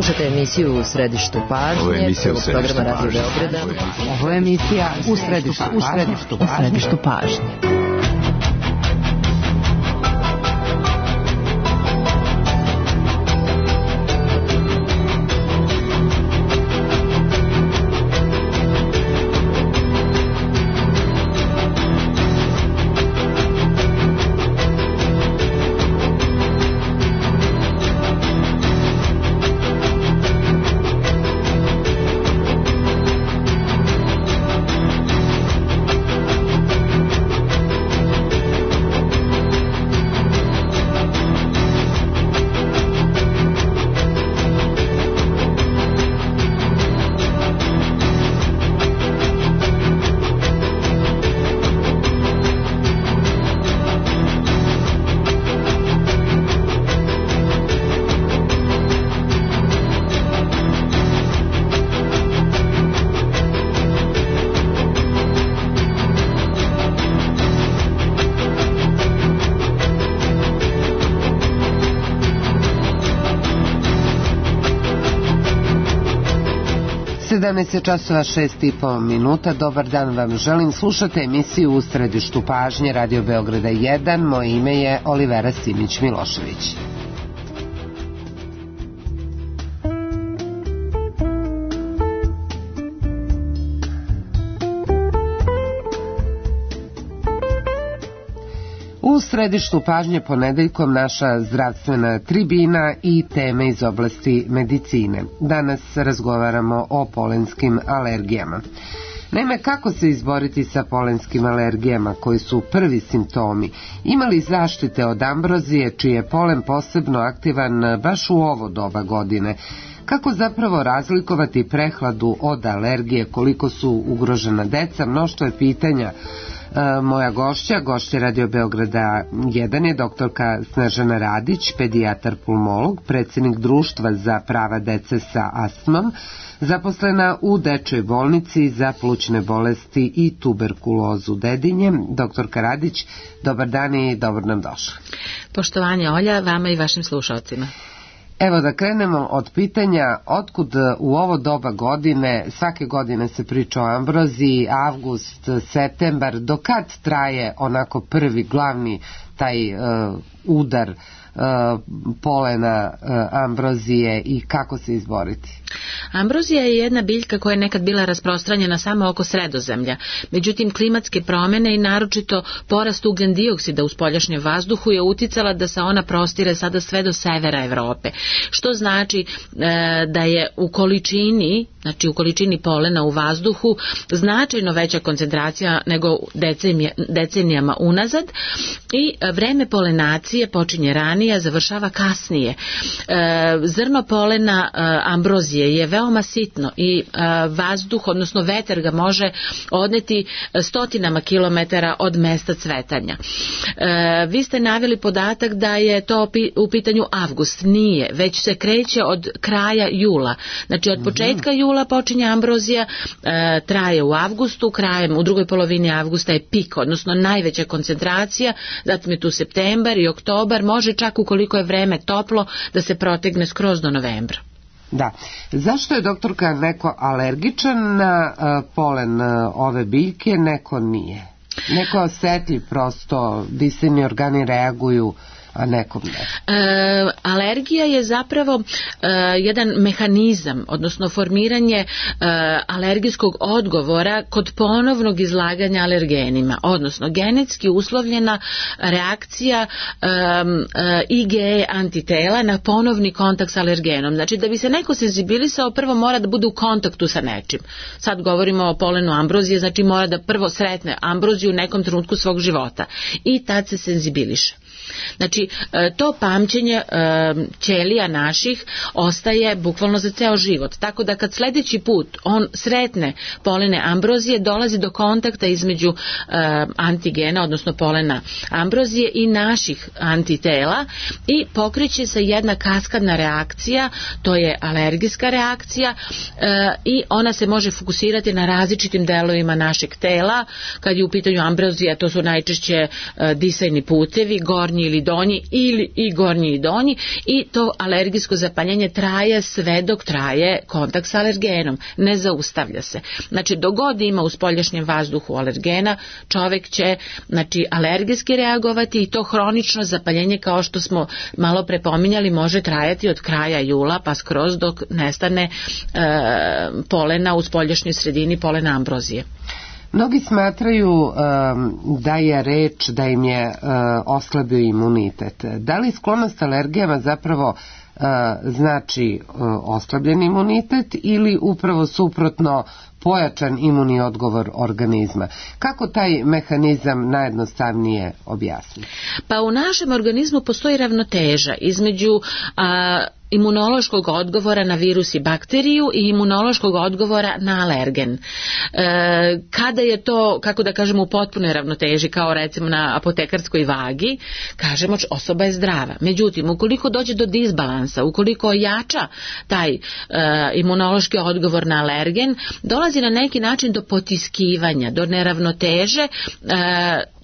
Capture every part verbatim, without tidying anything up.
Slušajte emisiju U središtu pažnje. Ovo je emisija U središtu pažnje. Ovo je emisija U središtu, u središtu, u središtu pažnje. sedamnaest časova šest i po minuta. Dobar dan vam želim. Slušate emisiju U središtu pažnje Radio Beograda jedan. Moje ime je Olivera Simić-Milošević. U središtu pažnje ponedeljkom naša zdravstvena tribina i teme iz oblasti medicine. Danas razgovaramo o polenskim alergijama. Naime, kako se izboriti sa polenskim alergijama koji su prvi simptomi? Ima li zaštite od ambrozije čiji je polen posebno aktivan baš u ovo doba godine? Kako zapravo razlikovati prehladu od alergije, koliko su ugrožena deca? Mnoštvo je pitanja. Moja gošća, gošća Radio Beograda jedan je doktorka Snežana Radić, pedijatar pulmolog, predsjednik Društva za prava dece sa astmom, zaposlena u Dečjoj bolnici za plućne bolesti i tuberkulozu Dedinje. Doktorka Radić, dobar dan i dobro nam došla. Poštovanje Olja, vama i vašim slušalcima. Evo da krenemo od pitanja otkud u ovo doba godine, svake godine se priča o ambroziji, avgust, septembar, do kad traje onako prvi glavni taj uh, udar uh, polena uh, ambrozije i kako se izboriti? Ambrozija je jedna biljka koja je nekad bila rasprostranjena samo oko Sredozemlja. Međutim, klimatske promjene i naročito porast ugljen dioksida u spoljašnjem vazduhu je uticala da se ona prostire sada sve do severa Evrope. Što znači e, da je u količini, znači u količini polena u vazduhu značajno veća koncentracija nego decenija, decenijama unazad i vreme polenacije počinje ranije, završava kasnije. E, zrno polena e, ambrozije je veoma sitno i e, vazduh, odnosno vetar ga može odneti stotinama kilometara od mesta cvetanja. E, vi ste naveli podatak da je to u pitanju avgust. Nije, već se kreće od kraja jula. Znači od početka jula počinje ambrozija, e, traje u avgustu, krajem u drugoj polovini avgusta je pik, odnosno najveća koncentracija, zatim je tu septembar i oktobar, može čak ukoliko je vreme toplo da se protegne skroz do novembra. Da. Zašto je doktorka neko alergičan na uh, polen uh, ove biljke, neko nije? Neko je osjetljiv, prosto disajni organi reaguju, a nekom ne. E, alergija je zapravo e, jedan mehanizam, odnosno formiranje e, alergijskog odgovora kod ponovnog izlaganja alergenima, odnosno genetski uslovljena reakcija e, e, I G E antitela na ponovni kontakt s alergenom. Znači da bi se neko senzibilisao, prvo mora da bude u kontaktu sa nečim. Sad govorimo o polenu ambrozije, znači mora da prvo sretne ambroziju u nekom trenutku svog života i tad se senzibiliše. Znači, to pamćenje ćelija naših ostaje bukvalno za ceo život. Tako da kad sljedeći put on sretne polene ambrozije, dolazi do kontakta između antigena, odnosno polena ambrozije i naših antitela i pokreće se jedna kaskadna reakcija, to je alergijska reakcija i ona se može fokusirati na različitim delovima našeg tela. Kad je u pitanju ambrozija, to su najčešće disajni putevi, gore gornji ili donji ili i gornji i donji i to alergijsko zapaljenje traje sve dok traje kontakt sa alergenom, ne zaustavlja se. Znači dok god ima u spoljašnjem vazduhu alergena, čovjek će znači alergijski reagovati i to hronično zapaljenje kao što smo malo prepominjali može trajati od kraja jula pa skroz dok nestane e, polena u spoljašnjoj sredini, polena ambrozije. Mnogi smatraju um, da je reč da im je uh, oslabio imunitet. Da li sklonost alergijama zapravo uh, znači uh, oslabljen imunitet ili upravo suprotno pojačan imunni odgovor organizma? Kako taj mehanizam najjednostavnije objasniti? Pa u našem organizmu postoji ravnoteža između a, imunološkog odgovora na virus i bakteriju i imunološkog odgovora na alergen. E, kada je to, kako da kažemo, u potpunoj ravnoteži, kao recimo na apotekarskoj vagi, kažemo osoba je zdrava. Međutim, ukoliko dođe do disbalansa, ukoliko ojača taj e, imunološki odgovor na alergen, dolazi na neki način do potiskivanja, do neravnoteže e,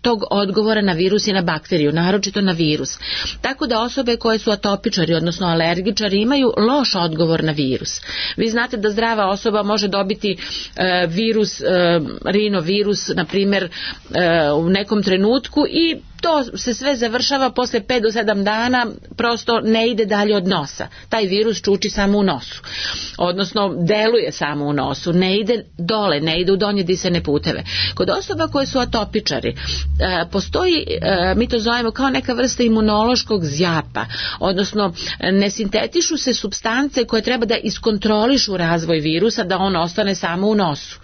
tog odgovora na virus i na bakteriju, naročito na virus. Tako da osobe koje su atopičari, odnosno alergičari, imaju loš odgovor na virus. Vi znate da zdrava osoba može dobiti e, virus, e, rinovirus, na primjer, e, u nekom trenutku i to se sve završava posle pet do sedam dana, prosto ne ide dalje od nosa. Taj virus čuči samo u nosu. Odnosno, deluje samo u nosu, ne ide dole, ne ide u donje disajne puteve. Kod osoba koje su atopičari, postoji, mi to zovemo kao neka vrsta imunološkog zjapa, odnosno ne sintetišu se supstance koje treba da iskontrolišu razvoj virusa, da on ostane samo u nosu.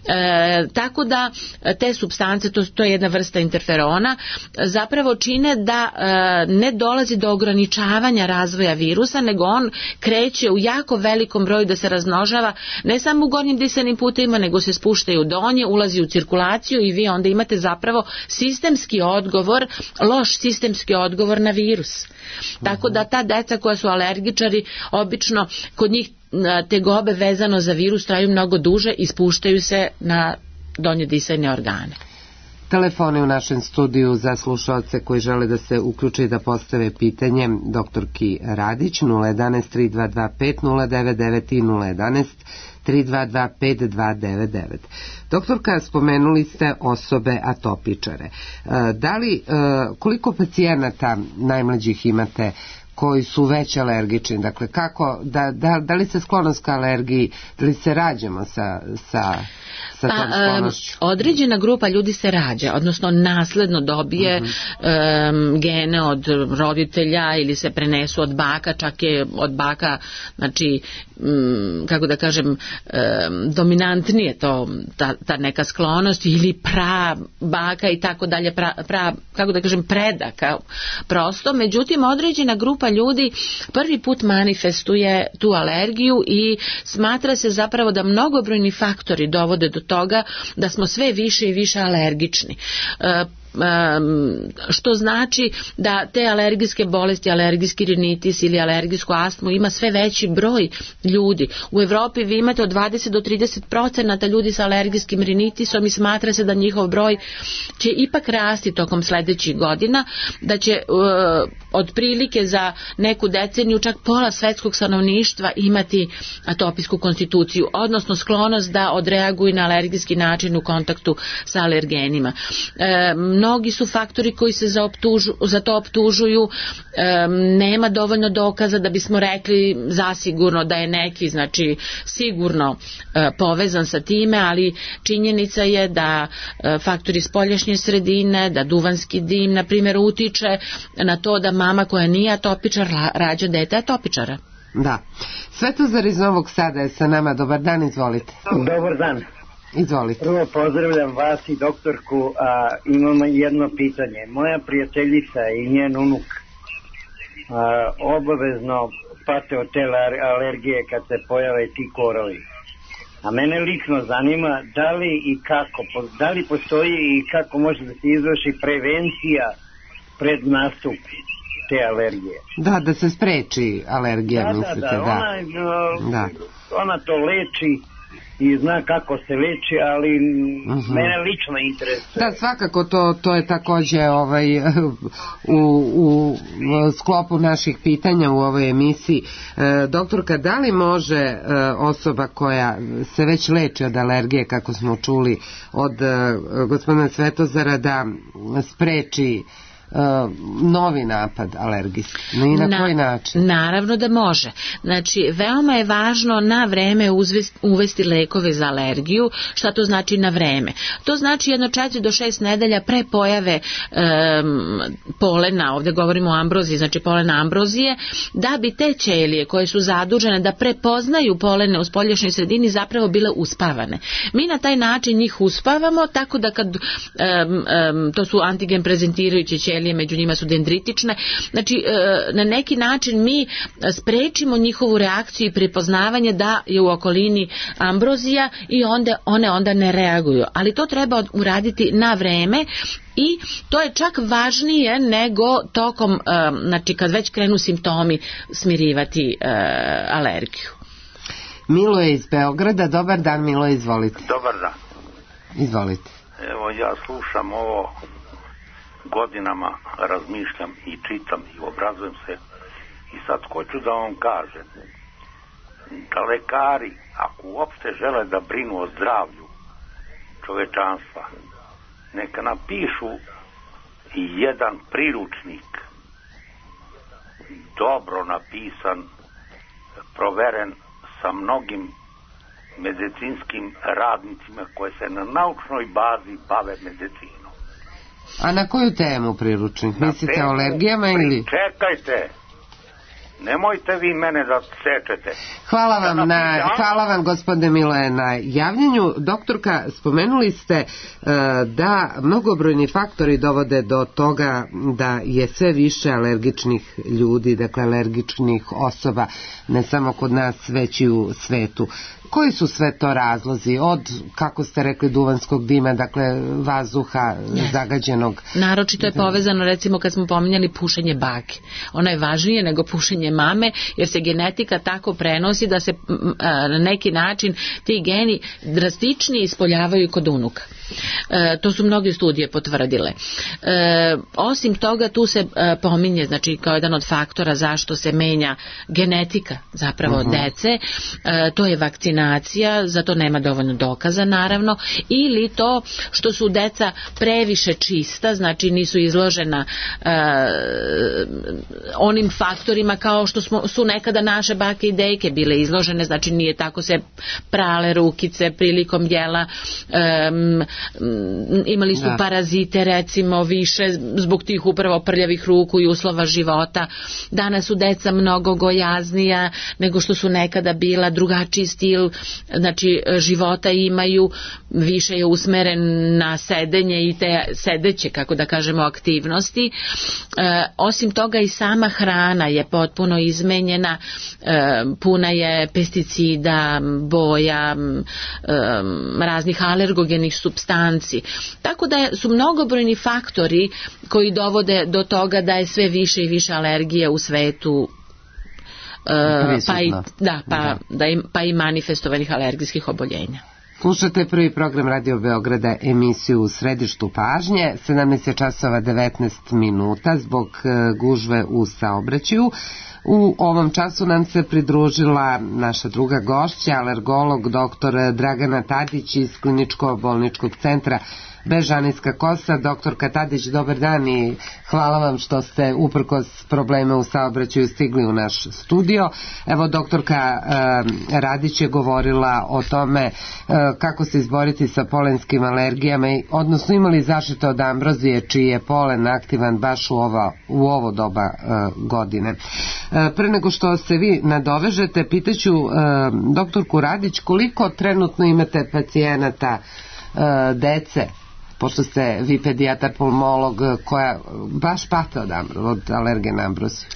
E, tako da te supstance, to, to je jedna vrsta interferona, zapravo čine da e, ne dolazi do ograničavanja razvoja virusa, nego on kreće u jako velikom broju da se razmnožava, ne samo u gornjim disajnim putevima, nego se spuštaju u donje, ulazi u cirkulaciju i vi onda imate zapravo sistemski odgovor, loš sistemski odgovor na virus. Tako da ta deca koja su alergičari, obično kod njih tegobe vezano za virus traju mnogo duže i spuštaju se na donje disajne organe. Telefoni u našem studiju za slušaoce koji žele da se uključe i da postave pitanje doktorki Radić nula jedanaest tri dva dva pet nula devet devet i nula jedanaest tri dva dva pet dva devet devet. Doktorka, spomenuli ste osobe atopičare. Da li, koliko pacijenata najmlađih imate koji su već alergični, dakle kako, da, da, da li se sklonost ka alergiji, da li se rađamo sa, sa, sa tom sklonošću? Pa, um, određena grupa ljudi se rađa, odnosno nasledno dobije uh-huh. um, gene od roditelja ili se prenesu od baka, čak je od baka, znači, um, kako da kažem, um, dominantnije to, ta, ta neka sklonost ili pra baka i tako dalje, pra, pra, kako da kažem, predaka, prosto, međutim, određena grupa ljudi prvi put manifestuje tu alergiju i smatra se zapravo da mnogobrojni faktori dovode do toga da smo sve više i više alergični. E, što znači da te alergijske bolesti, alergijski rinitis ili alergijsku astmu ima sve veći broj ljudi. U Evropi vi imate od dvadeset do trideset procenata ljudi sa alergijskim rinitisom i smatra se da njihov broj će ipak rasti tokom sledećih godina, da će uh, otprilike za neku deceniju čak pola svetskog stanovništva imati atopijsku konstituciju, odnosno sklonost da odreaguju na alergijski način u kontaktu sa alergenima. E, mnogi su faktori koji se za, optužu, za to optužuju, e, nema dovoljno dokaza da bismo rekli zasigurno da je neki, znači sigurno e, povezan sa time, ali činjenica je da e, faktori spoljašnje sredine, da duvanski dim, na primjer, utiče na to da mama koja nije atopičar rađa dete atopičara. Da. Svetozar iz Novog Sada je sa nama. Dobar dan, izvolite. Dobar dan. Izvolite. Prvo pozdravljam vas i doktorku, a imam jedno pitanje. Moja prijateljica i njen unuk a, obavezno pate od te alergije kad se pojave ti korovi. A mene lično zanima da li i kako, da li postoji i kako može da se izvrši prevencija pred nastup te alergije. Da, da se spreči alergija, da, mislite, da. Da, da, ona, da. ona to leči i zna kako se leči, ali uh-huh. mene lično interesuje. Da, svakako to, to je takođe ovaj, u, u sklopu naših pitanja u ovoj emisiji. E, doktorka, da li može e, osoba koja se već leči od alergije, kako smo čuli od e, gospodina Svetozara, da spreči Uh, novi napad alergijski? I na, na koji način? Naravno da može. Znači, veoma je važno na vreme uzvesti, uvesti lekove za alergiju. Šta to znači na vreme? To znači jedno četiri do šest nedelja pre pojave um, polena, ovde govorimo o ambroziji, znači polena ambrozije, da bi te ćelije koje su zadužene da prepoznaju polene u spoljašnjoj sredini zapravo bile uspavane. Mi na taj način njih uspavamo, tako da kad um, um, to su antigen prezentirajuće ćelije, među njima su dendritične, znači na neki način mi sprečimo njihovu reakciju i prepoznavanje da je u okolini ambrozija i onda one onda ne reaguju, ali to treba uraditi na vreme i to je čak važnije nego tokom, znači kad već krenu simptomi, smirivati alergiju. Milo je iz Beograda. Dobar dan, Milo, izvolite. Dobar dan. Izvolite. Evo, ja slušam ovo, godinama razmišljam i čitam i obrazujem se i sad hoću da vam kažem da lekari, ako uopšte žele da brinu o zdravlju čovečanstva, neka napišu i jedan priručnik, dobro napisan, proveren sa mnogim medicinskim radnicima koje se na naučnoj bazi bave medicinom. A na koju temu priručnik? Mislite o alergijama ili? Čekajte, nemojte vi mene da sečete. Hvala vam, na, hvala vam gospodine Miloje na javljanju. Doktorka, spomenuli ste uh, da mnogobrojni faktori dovode do toga da je sve više alergičnih ljudi, dakle alergičnih osoba, ne samo kod nas, već i u svetu. Koji su sve to razlozi? Od, kako ste rekli, duvanskog dima, dakle vazduha zagađenog? Naročito je povezano, recimo, kad smo pominjali pušenje bake. Ono je važnije nego pušenje mame, jer se genetika tako prenosi da se na neki način ti geni drastičnije ispoljavaju kod unuka. E, to su mnoge studije potvrdile. E, osim toga, tu se e, pominje, znači, kao jedan od faktora zašto se menja genetika zapravo uh-huh. dece, e, to je vakcinacija, za to nema dovoljno dokaza, naravno, ili to što su deca previše čista, znači nisu izložena e, onim faktorima kao što smo, su nekada naše bake i dejke bile izložene, znači nije tako se prale rukice prilikom jela, e, imali su da. parazite recimo više zbog tih upravo prljavih ruku i uslova života. Danas su deca mnogo gojaznija nego što su nekada bila, drugačiji stil znači života imaju, više je usmeren na sedenje i te sedeće, kako da kažemo, aktivnosti. E, osim toga i sama hrana je potpuno izmenjena, e, puna je pesticida, boja, e, raznih alergogenih supstanci. Tako da su mnogobrojni faktori koji dovode do toga da je sve više i više alergije u svetu, uh, pa, i, da, pa, da. Da im, pa i manifestovanih alergijskih oboljenja. Slušate prvi program Radio Beograda, emisiju U središtu pažnje, sedamnaest časova devetnaest minuta zbog gužve u saobraćaju. U ovom času nam se pridružila naša druga gošća, alergolog doktor Dragana Tadić iz Kliničko-bolničkog centra Bežanijska Kosa. Doktorka Tadić, dobar dan i hvala vam što ste uprkos problema u saobraćaju stigli u naš studio. Evo, doktorka eh, Radić je govorila o tome eh, kako se izboriti sa polenskim alergijama, odnosno imali zaštite od ambrozije čiji je polen aktivan baš u ovo, u ovo doba eh, godine. Eh, pre nego što se vi nadovežete, pitaću eh, doktorku Radić koliko trenutno imate pacijenata eh, dece, pošto ste vi pedijatar pulmolog, koja baš pata od, od alergena ambrozije?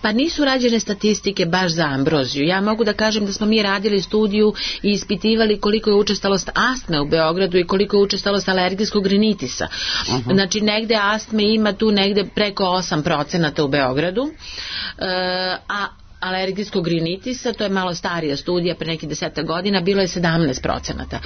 Pa nisu rađene statistike baš za ambroziju. Ja mogu da kažem da smo mi radili studiju i ispitivali koliko je učestalost astme u Beogradu i koliko je učestalost alergijskog rinitisa. Uh-huh. Znači negde astme ima tu negde preko osam procenata u Beogradu, e, a alergijskog rinitisa, to je malo starija studija, pre nekih deseta godina, bilo je sedamnaest procenata.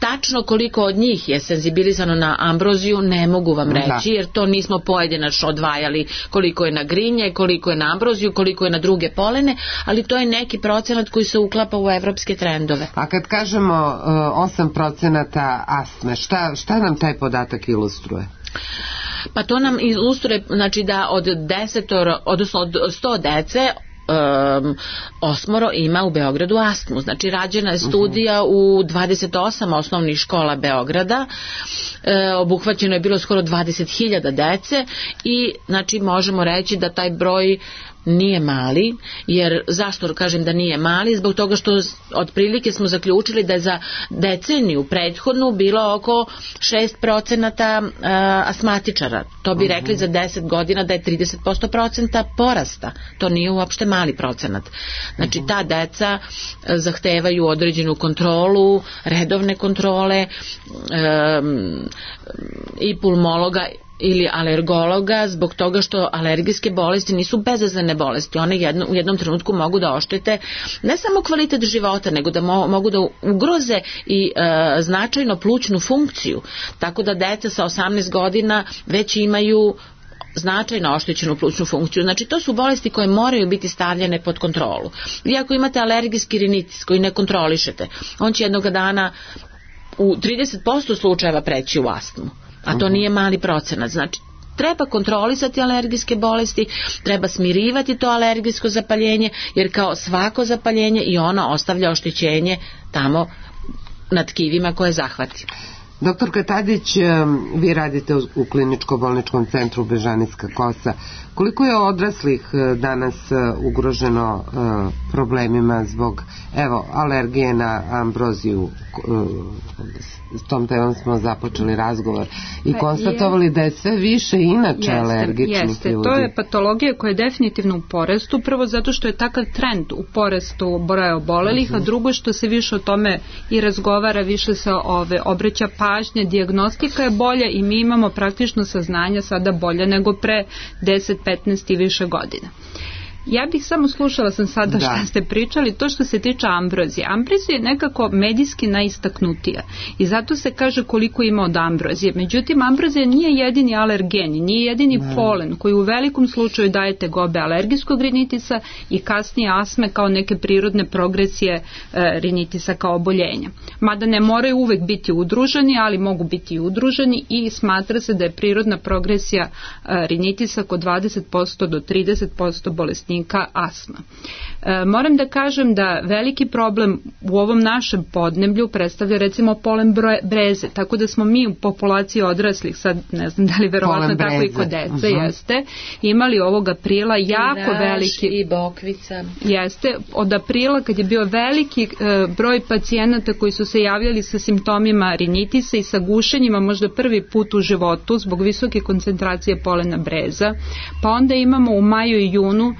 Tačno koliko od njih je senzibilizano na ambroziju, ne mogu vam reći, jer to nismo pojedinačno odvajali koliko je na grinje, koliko je na ambroziju, koliko je na druge polene, ali to je neki procenat koji se uklapa u evropske trendove. A kad kažemo uh, osam procenata astme, šta, šta nam taj podatak ilustruje? Pa to nam ilustruje, znači da od desetoro, odnosno od sto dece, Um, osmoro ima u Beogradu astmu. Znači rađena je studija u dvadeset osam osnovnih škola Beograda, e, obuhvaćeno je bilo skoro dvadeset hiljada dece i znači možemo reći da taj broj nije mali, jer zašto kažem da nije mali? Zbog toga što otprilike smo zaključili da je za deceniju prethodnu bilo oko šest procenata uh, asmatičara. To bi rekli uh-huh. za deset godina da je trideset posto procenta porasta. To nije uopšte mali procenat. Znači uh-huh. ta deca zahtevaju određenu kontrolu, redovne kontrole um, i pulmologa ili alergologa, zbog toga što alergijske bolesti nisu bezazlene bolesti. One jedno, u jednom trenutku mogu da oštete ne samo kvalitet života, nego da mo, mogu da ugroze i e, značajno plućnu funkciju. Tako da deca sa osamnaest godina već imaju značajno oštećenu plućnu funkciju. Znači to su bolesti koje moraju biti stavljene pod kontrolu. Vi ako imate alergijski rinitis koji ne kontrolišete, on će jednog dana u trideset posto slučajeva preći u astmu. A to nije mali procenat. Znači, treba kontrolisati alergijske bolesti, treba smirivati to alergijsko zapaljenje, jer kao svako zapaljenje i ono ostavlja oštećenje tamo na tkivima koje zahvati. Doktorka Tadić, vi radite u kliničko-bolničkom centru Bežanijska kosa. Koliko je odraslih danas ugroženo problemima zbog, evo, alergije na ambroziju? S tom temom smo započeli razgovor i konstatovali da je sve više inače jeste, alergičnih jeste. ljudi. To je patologija koja je definitivno u porastu, prvo zato što je takav trend u porastu broja obolelih, uh-huh. a drugo što se više o tome i razgovara, više se ove obraća pažnje, dijagnostika je bolja i mi imamo praktično saznanja sada bolje nego pre deset, petnaest i više godina. Ja bih samo slušala sam sada da. Šta ste pričali, to što se tiče ambrozije. Ambrozija je nekako medijski najistaknutija i zato se kaže koliko ima od ambrozije. Međutim, ambrozija nije jedini alergen, nije jedini ne. polen koji u velikom slučaju daje tegobe alergijskog rinitisa i kasnije astme kao neke prirodne progresije e, rinitisa kao oboljenja. Mada ne moraju uvek biti udruženi, ali mogu biti i udruženi i smatra se da je prirodna progresija e, rinitisa kod dvadeset posto do trideset posto bolesnika astma. E, moram da kažem da veliki problem u ovom našem podneblju predstavlja recimo polen breze, tako da smo mi u populaciji odraslih, sad ne znam da li verovatno tako i kod dece, uh-huh. jeste, imali ovog aprila jako Raž veliki i bokvica. Jeste, od aprila kad je bio veliki e, broj pacijenata koji su se javljali sa simptomima rinitisa i sa gušenjima možda prvi put u životu zbog visoke koncentracije polena breza, pa onda imamo u maju i junu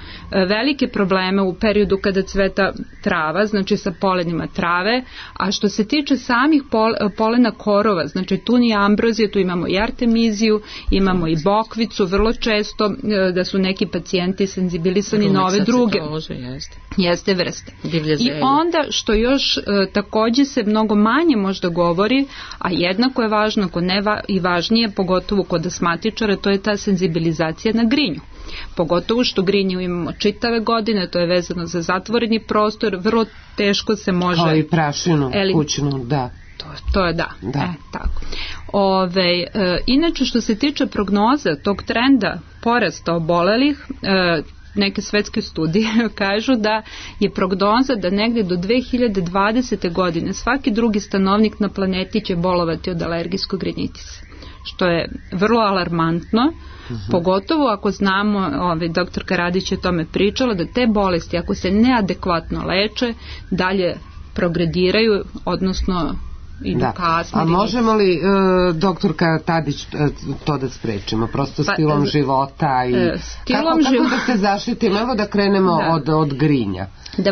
velike probleme u periodu kada cveta trava, znači sa polenima trave, a što se tiče samih pol, polena korova, znači tu nije ambrozija, tu imamo i artemiziju, imamo i bokvicu, vrlo često da su neki pacijenti senzibilisani na ove druge jeste. jeste vrste. I onda što još takođe se mnogo manje možda govori, a jednako je važno, ako ne va, i važnije, pogotovo kod astmatičara, to je ta senzibilizacija na grinju. Pogotovo što grinju imamo čitave godine, to je vezano za zatvoreni prostor, vrlo teško se može... Kao i prašinu, eli... kućnu, da. To, to je da, da. E, tako. Ove, e, inače što se tiče prognoza tog trenda porasta obolelih, e, neke svetske studije kažu da je prognoza da negde do dve hiljade dvadesete. godine svaki drugi stanovnik na planeti će bolovati od alergijskog rinitisa, što je vrlo alarmantno. Uh-huh. Pogotovo ako znamo, ovaj, doktorka Radić je o tome pričala, da te bolesti, ako se neadekvatno leče, dalje progrediraju, odnosno idu da. kasnije. A možemo li, e, doktorka Tadić, e, to da sprečimo? Prosto stilom pa, života i e, stilom kako, kako života. Da se zaštitimo? Evo da krenemo da. Od, od grinja.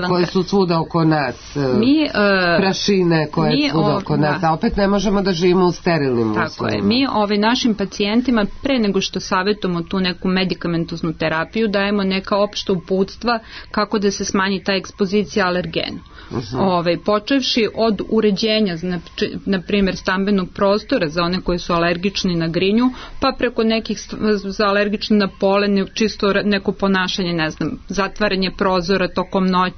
Koje su svuda oko nas, mi, uh, prašine koje mi, svuda oko nas, da. A opet ne možemo da živimo u sterilnim Tako uslovima. Je. Mi ovaj, našim pacijentima, pre nego što savjetujemo tu neku medikamentoznu terapiju, dajemo neka opšta uputstva kako da se smanji ta ekspozicija alergenu. Uh-huh. Ovaj, počevši od uređenja, znači, na primjer stambenog prostora za one koji su alergični na grinju, pa preko nekih za alergični na polen, čisto neko ponašanje, ne znam, zatvaranje prozora tokom noći,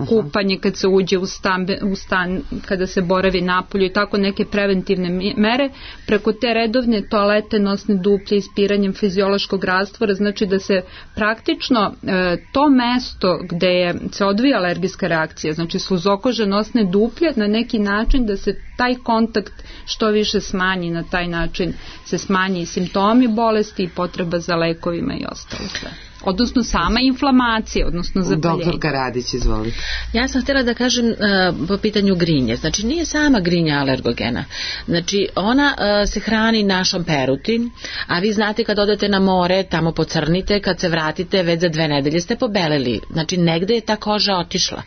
kupanje kad se uđe u, stambe, u stan, kada se boravi napolju i tako neke preventivne mere, preko te redovne toalete, nosne duplje, ispiranjem fiziološkog rastvora, znači da se praktično e, to mesto gde je, se odvija alergijska reakcija, znači sluzokože, nosne duplje, na neki način da se taj kontakt što više smanji, na taj način se smanji i simptomi bolesti i potreba za lekovima i ostalo sve. Odnosno sama inflamacija, odnosno zapaljenje. Doktorka Radić, izvolite. Ja sam htjela da kažem uh, po pitanju grinje. Znači nije sama grinja alergogena. Znači ona uh, se hrani našom peruti, a vi znate kad odete na more, tamo pocrnite, kad se vratite već za dve nedelje ste pobeleli. Znači negde je ta koža otišla.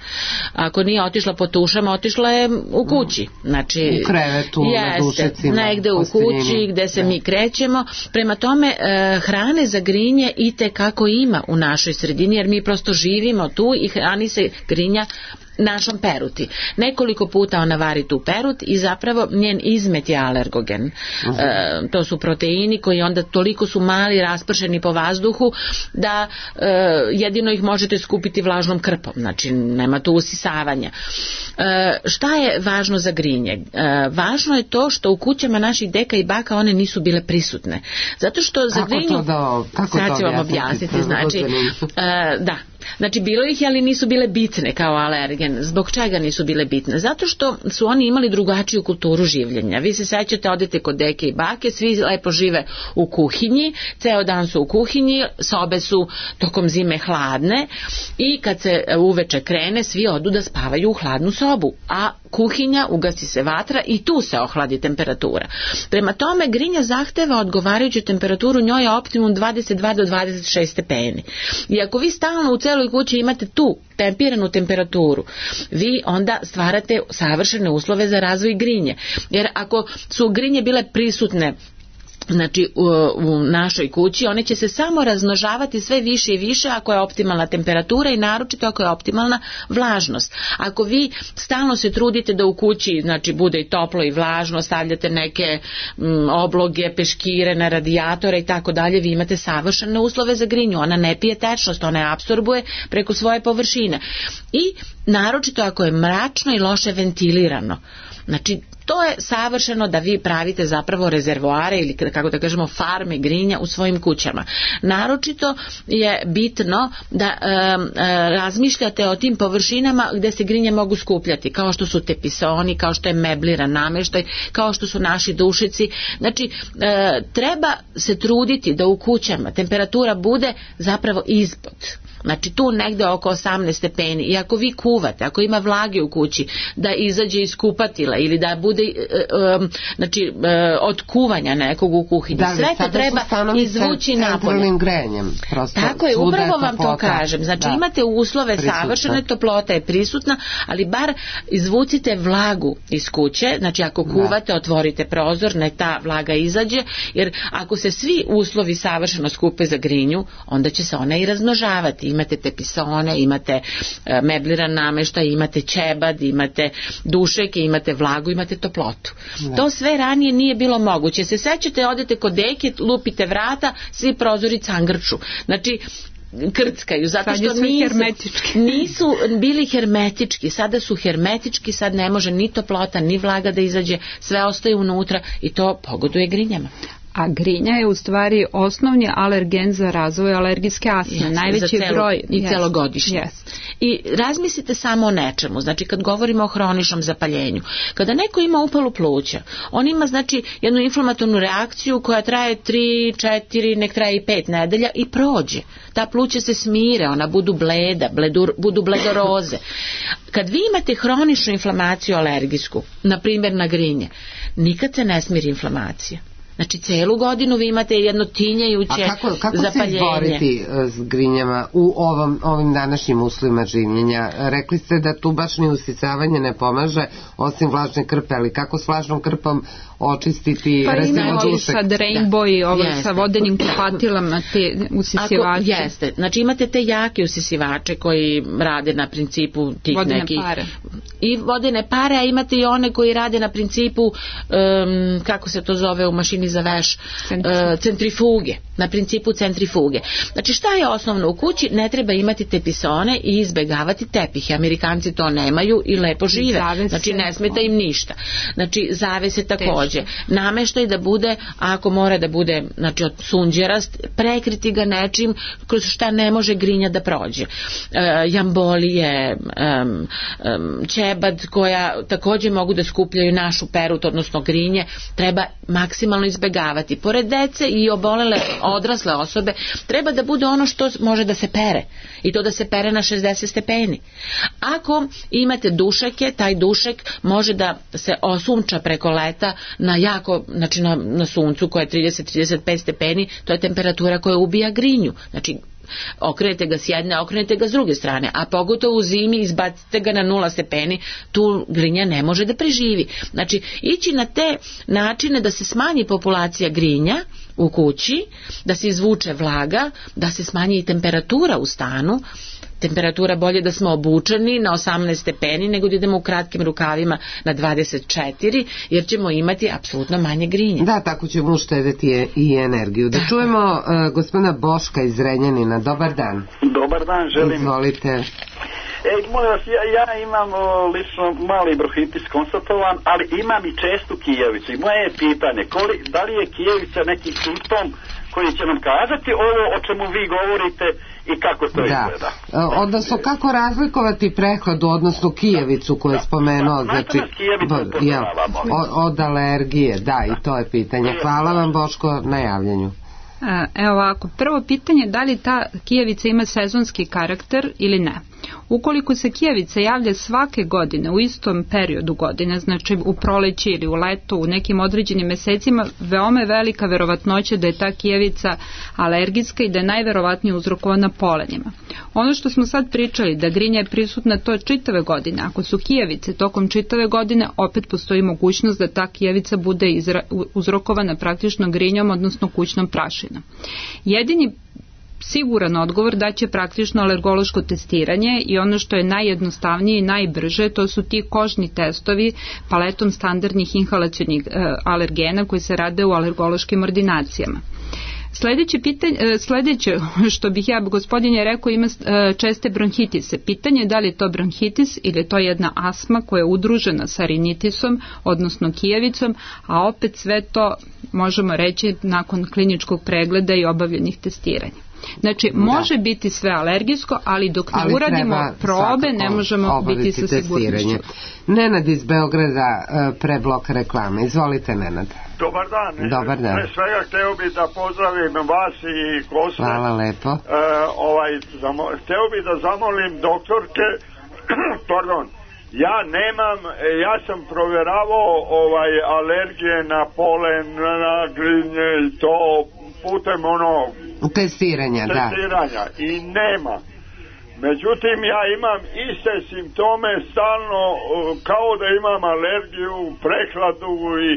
Ako nije otišla po tušama, otišla je u kući. Znači, u krevetu, jeste, na dušecima. Negde u kući gde se da. Mi krećemo. Prema tome uh, hrane za grinje i te kako ima u našoj sredini, jer mi prosto živimo tu i hrani se grinja našom peruti. Nekoliko puta ona vari tu perut i zapravo njen izmet je alergogen. Uh-huh. E, to su proteini koji onda toliko su mali, raspršeni po vazduhu da e, jedino ih možete skupiti vlažnom krpom. Znači nema tu usisavanja. E, šta je važno za grinje? E, važno je to što u kućama naših deka i baka one nisu bile prisutne. Zato što za kako grinju... To da, kako sad ću vam objasniti. Znači, e, da. Znači bilo ih je, ali nisu bile bitne kao alergen. Zbog čega nisu bile bitne? Zato što su oni imali drugačiju kulturu življenja. Vi se sećate, odete kod deke i bake, svi lepo žive u kuhinji, ceo dan su u kuhinji, sobe su tokom zime hladne i kad se uveče krene, svi odu da spavaju u hladnu sobu, a kuhinja, ugasi se vatra i tu se ohladi temperatura. Prema tome, grinja zahteva odgovarajuću temperaturu, njoj je optimum dvadeset dva do dvadeset šest stepeni. I ako vi stalno u celoj kući imate tu tempiranu temperaturu, vi onda stvarate savršene uslove za razvoj grinje. Jer ako su grinje bile prisutne znači u, u našoj kući, one će se samo razmnožavati sve više i više ako je optimalna temperatura i naročito ako je optimalna vlažnost. Ako vi stalno se trudite da u kući znači bude i toplo i vlažno, stavljate neke m, obloge, peškire na radijatore i tako dalje, vi imate savršene uslove za grinju. Ona ne pije tečnost, ona je apsorbuje preko svoje površine. I naročito ako je mračno i loše ventilirano. Znači to je savršeno da vi pravite zapravo rezervoare ili kako da kažemo farme grinja u svojim kućama. Naročito je bitno da e, e, razmišljate o tim površinama gde se grinje mogu skupljati, kao što su tepisoni, kao što je mebliran nameštaj, kao što su naši dušici. Znači e, treba se truditi da u kućama temperatura bude zapravo ispod. Znači tu negde oko osamnaest stepeni i ako vi kuvate, ako ima vlage u kući, da izađe iz kupatila ili da bude um, znači uh, od kuvanja nekog u kuhinji. Da, sve to treba izvući napolje. Grenjem, tako je, upravo vam to kažem. Znači da. Imate uslove, prisutna. Savršene, toplota je prisutna, ali bar izvucite vlagu iz kuće, znači ako kuvate, da. Otvorite prozor, ne ta vlaga izađe, jer ako se svi uslovi savršeno skupe za grinju, onda će se ona i razmnožavati. Imate tepisone, imate e, mebliran nameštaj, imate ćebad, imate dušeke, imate vlagu, imate toplotu. Ne. To sve ranije nije bilo moguće. Se sećate, odete kod deke, lupite vrata, svi prozori cangrču. Znači, krckaju, zato što nisu, nisu bili hermetički, sada su hermetički, sad ne može ni toplota, ni vlaga da izađe, sve ostaje unutra i to pogoduje grinjama. a grinja je u stvari osnovni alergen za razvoj alergijske astme. Yes, najveći celo, broj i yes, celogodišnje. Yes. I razmislite samo o nečemu, znači kad govorimo o hroničnom zapaljenju, kada neko ima upalu pluća, on ima znači jednu inflamatornu reakciju koja traje tri, četiri, nek traje i pet nedelja i prođe. Ta pluća se smire, ona budu bleda, bledur, budu bledoroze. Kad vi imate hroničnu inflamaciju alergijsku, na primjer na grinje, nikad se ne smiri inflamacija. Znači, celu godinu vi imate jedno tinjajuće zapaljenje. A kako, kako se izboriti s grinjama u ovom, ovim današnjim uslovima življenja? Rekli ste da tu baš ni usisavanje ne pomaže, osim vlažne krpe, ali kako s vlažnom krpom očistiti pa recimo dušek? Pa imamo sad Rainbow i ovo sa vodenim kupatilama te usisivače. Ako, jeste, znači imate te jake usisivače koji rade na principu tih vodene nekih... pare. I vodene pare, a imate i one koji rade na principu, um, kako se to zove u mašini za veš, uh, centrifuge, na principu centrifuge. Znači šta je osnovno u kući? Ne treba imati tepisone i izbegavati tepihe. Amerikanci to nemaju i lepo žive. Zavese. Znači ne smeta im ništa. Znači zavese takođe. Nameštaj da bude, ako mora da bude znači od sunđerast, prekriti ga nečim kroz šta ne može grinja da prođe. E, jambolije, um, um, ćebad koja takođe mogu da skupljaju našu perut, odnosno grinje, treba maksimalno izbegavati. Pored dece i obolele odrasle osobe, treba da bude ono što može da se pere. I to da se pere na šezdeset stepeni. Ako imate dušeke, taj dušek može da se osunča preko leta na jako, znači na, na suncu koje je trideset do trideset pet stepeni, to je temperatura koja ubija grinju. Znači okrenete ga s jedne, okrenete ga s druge strane, a pogotovo u zimi izbacite ga na nula stepeni, tu grinja ne može da preživi. Znači ići na te načine da se smanji populacija grinja u kući, da se izvuče vlaga, da se smanji i temperatura u stanu. Temperatura bolje da smo obučeni na osamnaest stepeni nego da idemo u kratkim rukavima na dvadeset četiri, jer ćemo imati apsolutno manje grinje. Da, tako ćemo uštedeti i energiju. Da čujemo uh, gospodina Boška iz Renjanina. Dobar dan. Dobar dan, želim. Izvolite. E, molim vas, ja, ja imam o, lično mali bronhitis konstatovan, ali imam i čestu kijevicu. I moje je pitanje, koli, da li je kijevica neki simptom koji će nam kazati ovo o čemu vi govorite i kako to da. izgleda? Odnosno, kako razlikovati prehladu, odnosno kijevicu koju je da. spomenuo, da. znači, b, ja, od alergije, da, i to je pitanje. Hvala vam, Boško, na javljanju. Evo ovako, prvo pitanje, da li ta kijevica ima sezonski karakter ili ne? Ukoliko se kijevica javlja svake godine u istom periodu godine, znači u proleći ili u leto, u nekim određenim mesecima, veoma je velika verovatnoća da je ta kijevica alergijska i da je najverovatnije uzrokovana polenima. Ono što smo sad pričali, da grinja je prisutna to čitave godine, ako su kijevice tokom čitave godine, opet postoji mogućnost da ta kijevica bude izra, uzrokovana praktično grinjom, odnosno kućnom prašinom. Jedini siguran odgovor da će praktično alergološko testiranje i ono što je najjednostavnije i najbrže, to su ti kožni testovi paletom standardnih inhalacionih e, alergena koji se rade u alergološkim ordinacijama. Sledeće, pitanje, sledeće što bih ja, gospodin je rekao, ima česte bronhitise. Pitanje je da li je to bronhitis ili je to jedna astma koja je udružena sa rinitisom, odnosno kijevicom, a opet sve to možemo reći nakon kliničkog pregleda i obavljenih testiranja. Znači, može da. biti sve alergijsko, ali dok ne ali uradimo probe, ne možemo biti sa sigurnošću. Nenad iz Beograda pre bloka reklame. Izvolite, Nenad. Dobar dan. Dobar dan. Pre svega hteo bih da pozdravim vas i goste. Hvala lepo. E, ovaj, zamo, hteo bih da zamolim doktorke, pardon, ja nemam, ja sam provjeravao ovaj, alergije na polen, na grinje i to putem ono testiranja, testiranja da. I nema. Međutim, ja imam iste simptome stalno, kao da imam alergiju, prehladu, i,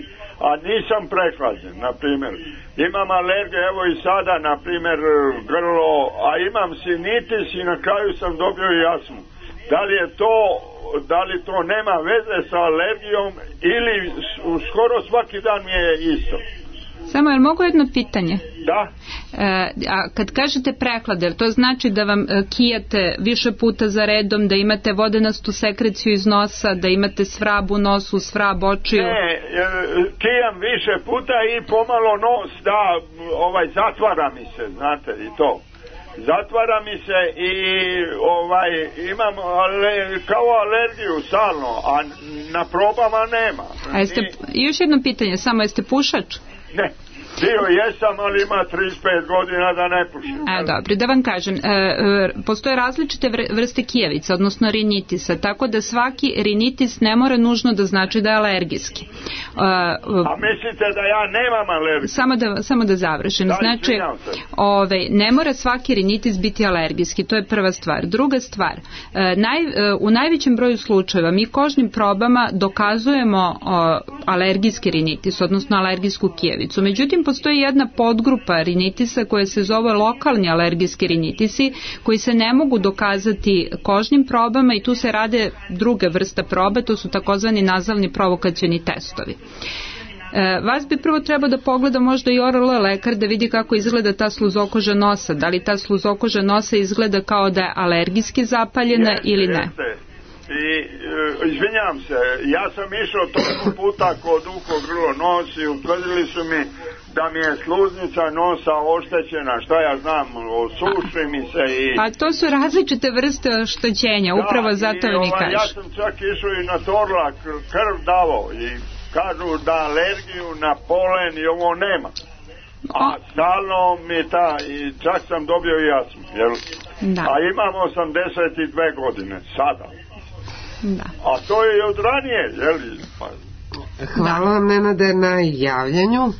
a nisam prehlađen, na primjer. Imam alergiju, evo i sada, na primjer, grlo, a imam sinitis i na kraju sam dobio i astmu. Da li je to, da li to nema veze sa alergijom ili skoro svaki dan mi je isto? Samo, jel mogu jedno pitanje? Da. E, a kad kažete prehlade, to znači da vam e, kijate više puta za redom, da imate vodenastu sekreciju iz nosa, da imate svrab u nosu, svrab očiju? Ne, kijam više puta i pomalo nos da ovaj zatvara mi se, znate, i to zatvara mi se i ovaj imam ale, kao alergiju stalno, a na probama nema. A jeste, još jedno pitanje, samo jeste pušač? Ne. Bio jesam, ali ima trideset pet godina da ne pušim. E, dobro, da vam kažem, e, e, postoje različite vrste kijevica, odnosno rinitisa, tako da svaki rinitis ne mora nužno da znači da je alergijski. E, A mislite da ja nemam alergiju? Samo da, samo da završim. Da, znači, ove, ne mora svaki rinitis biti alergijski, to je prva stvar. Druga stvar, e, naj, e, u najvećem broju slučajeva mi kožnim probama dokazujemo o, alergijski rinitis, odnosno alergijsku kijevicu. Međutim, postoji jedna podgrupa rinitisa koja se zove lokalni alergijski rinitisi, koji se ne mogu dokazati kožnim probama i tu se rade druge vrste probe, to su takozvani nazalni provokacioni testovi. E, vas bi prvo trebao da pogleda možda i O R L lekar da vidi kako izgleda ta sluzokoža nosa, da li ta sluzokoža nosa izgleda kao da je alergijski zapaljena jeste, ili ne. Jeste. I e, izvinjam se, ja sam išao toliko puta kod uho, grlo, nos i utvrdili su mi da mi je sluznica nosa oštećena, šta ja znam, osuši mi se i... A to su različite vrste oštećenja, da, upravo zato mi ovaj, kažeš. Ja sam čak išao i na Torlak, krv davo i kažu da alergiju na polen i ovo nema. A stalno mi ta, i čak sam dobio i jasno, jel? Da. A imam osamdeset dve godine, sada. Da. A to je od ranije, jel? Pa... Hvala vam, Nenade, na javljanju.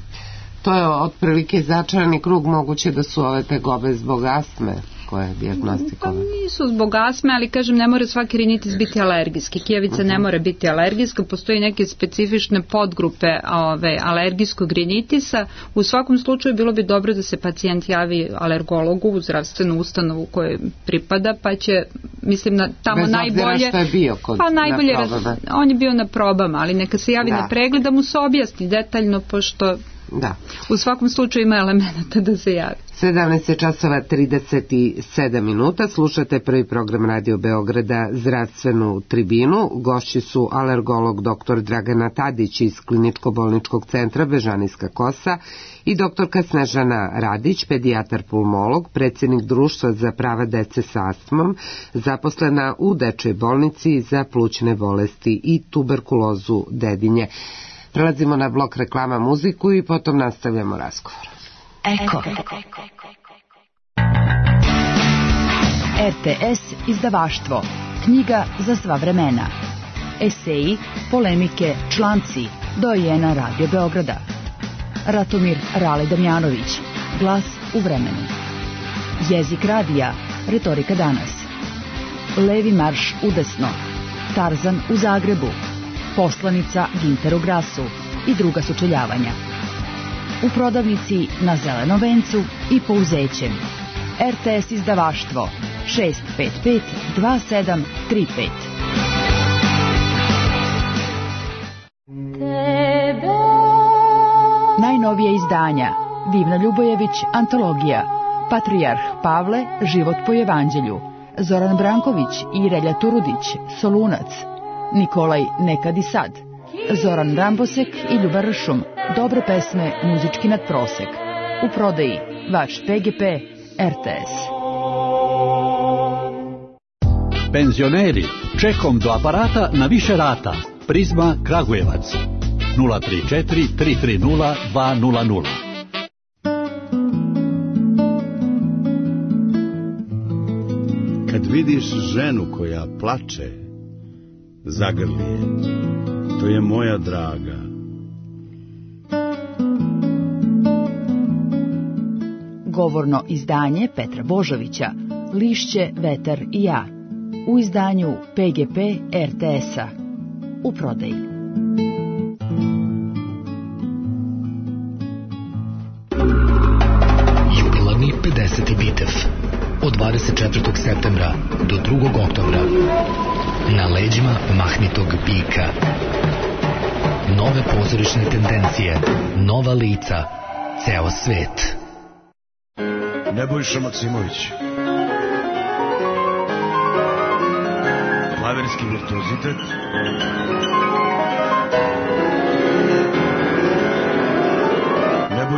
To je otprilike začarani krug, moguće da su ove tegobe zbog astme koje je dijagnostikovane. Pa nisu zbog astme, ali kažem, ne mora svaki rinitis biti alergijski. Kijevica uh-huh. ne mora biti alergijska, postoji neke specifične podgrupe ove, alergijskog rinitisa. U svakom slučaju bilo bi dobro da se pacijent javi alergologu u zdravstvenu ustanovu kojoj pripada, pa će, mislim, na, tamo bez najbolje... Što je bio kod, pa najbolje, na probama. On je bio na probama, ali neka se javi da. na pregled da mu se objasni detaljno, pošto... Da. U svakom slučaju ima elemenata da se javi. sedamnaest časova trideset sedam minuta, slušate prvi program Radio Beograda, zdravstvenu tribinu. Gošći su alergolog doktor Dragana Tadić iz Kliničko-bolničkog centra Bežanijska kosa i doktorka Snežana Radić, pedijatar pulmolog, predsjednik Društva za prava dece sa astmom, zaposlena u Dečjoj bolnici za plućne bolesti i tuberkulozu Dedinje. Prelazimo na blok reklama, muziku i potom nastavljamo razgovor. Eko. R T S izdavaštvo. Knjiga za sva vremena. Eseji, polemike, članci. Dojena Radio Beograda. Ratomir Rale Damjanović. Glas u vremenu. Jezik radija. Retorika danas. Levi marš udesno. Tarzan u Zagrebu. Poslanica Ginteru Grasu i druga sučeljavanja. U prodavnici na Zelenom vencu i Pouzećem. R T S izdavaštvo šest pet pet dva sedam tri pet. Najnovije izdanja. Divna Ljubojević, antologija. Patrijarh Pavle, život po evanđelju. Zoran Branković i Relja Turudić, Solunac. Nikolaj Nekad i sad. Zoran Rambosek i Ljubar Ršum. Dobre pesme, muzički nadprosek. U prodaji vaš P G P R T S. Penzioneri, čekom do aparata na više rata. Prizma Kragujevac. nula tri četiri tri tri nula dva nula nula. Kad vidiš ženu koja plače, zagrli je. To je moja draga. Govorno izdanje Petra Božovića, Lišće, vetar i ja. U izdanju P G P R T S-a. U prodaji. Jubilarni pedeseti Bitev. Od dvadeset četvrtog septembra do drugog oktobra. Na leđima mahnitog bika. Nove pozorišne tendencije, nova lica, ceo svet. Nebojša Maksimović. Klaverski virtuozitet.